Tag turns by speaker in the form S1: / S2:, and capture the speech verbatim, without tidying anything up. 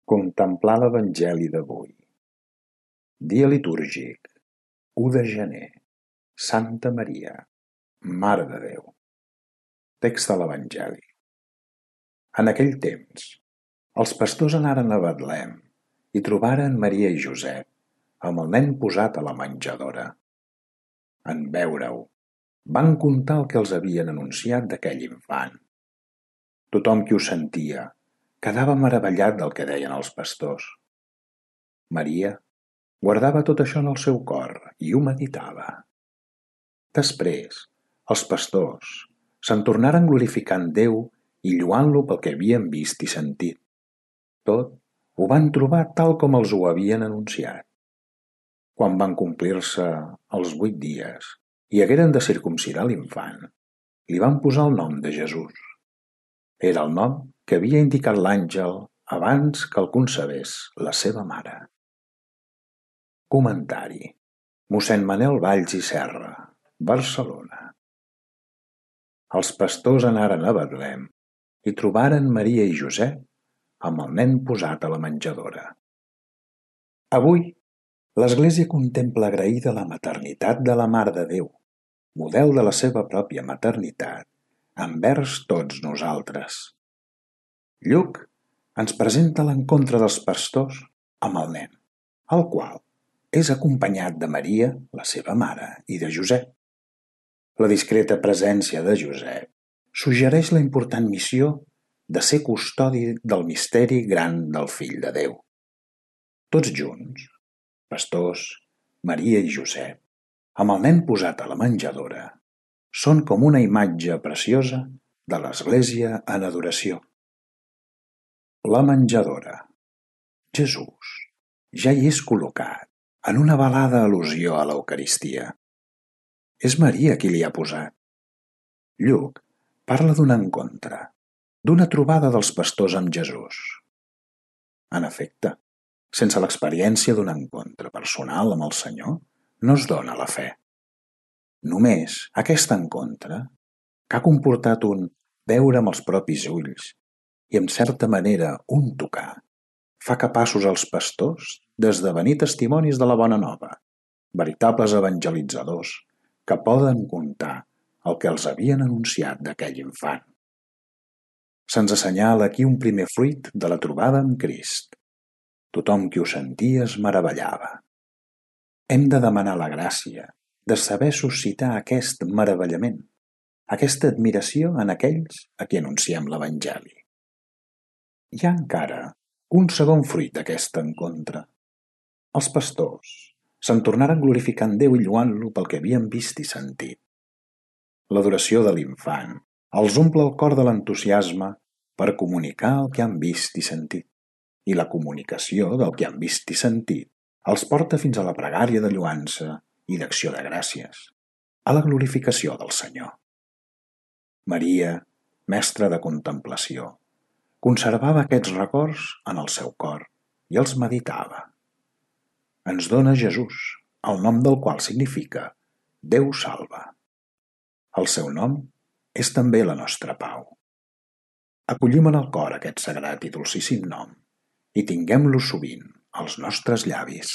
S1: Contemplar l'Evangeli d'avui. Dia litúrgic, u de gener. Santa Maria, Mare de Déu. Text de l'Evangeli. En aquell temps, els pastors anaren a Betlem i trobaren Maria i Josep amb el nen posat a la menjadora. En veure-ho, van contar el que els havien anunciat d'aquell infant. Tothom qui ho sentia quedava meravellat del que deien els pastors. Maria guardava tot això en el seu cor i ho meditava. Després, els pastors se'n tornaren glorificant Déu i lloant-lo pel que havien vist i sentit. Tot ho van trobar tal com els ho havien anunciat. Quan van complir-se els vuit dies i hagueren de circumcidar l'infant, li van posar el nom de Jesús. Era el nom que havia indicat l'àngel abans que el concebés la seva mare. Comentari: mossèn Manel Valls i Serra, Barcelona. Els pastors anaren a Betlem i trobaren Maria i Josep amb el nen posat a la menjadora. Avui, l'Església contempla agraïda la maternitat de la Mare de Déu, model de la seva pròpia maternitat, envers tots nosaltres. Lluc ens presenta l'encontre dels pastors amb el nen, el qual és acompanyat de Maria, la seva mare, i de Josep. La discreta presència de Josep suggereix la important missió de ser custodi del misteri gran del Fill de Déu. Tots junts, pastors, Maria i Josep, amb el nen posat a la menjadora, són com una imatge preciosa de l'Església en adoració. La menjadora. Jesús ja hi és col·locat en una velada al·lusió a l'Eucaristia. És Maria qui li ha posat. Lluc parla d'un encontre, d'una trobada dels pastors amb Jesús. En efecte, sense l'experiència d'un encontre personal amb el Senyor, no es dona la fe. Només aquest encontre, que ha comportat un veure amb els propis ulls i, en certa manera, un tocar, fa capaços els pastors d'esdevenir testimonis de la bona nova, veritables evangelitzadors que poden contar el que els havien anunciat d'aquell infant. Se'ns assenyala aquí un primer fruit de la trobada amb Crist. Tothom qui ho sentia es meravellava. Hem de demanar la gràcia de saber suscitar aquest meravellament, aquesta admiració en aquells a qui anunciem l'Evangeli. Hi ha encara un segon fruit d'aquest encontre. Els pastors se'n tornaren glorificant Déu i lloant-lo pel que havien vist i sentit. L'adoració de l'infant els omple el cor de l'entusiasme per comunicar el que han vist i sentit, i la comunicació del que han vist i sentit els porta fins a la pregària de lloança i d'acció de gràcies, a la glorificació del Senyor. Maria, mestra de contemplació, conservava aquests records en el seu cor i els meditava. Ens dona Jesús, el nom del qual significa Déu salva. El seu nom és també la nostra pau. Acollim en el cor aquest sagrat i dolcíssim nom i tinguem-lo sovint als nostres llavis.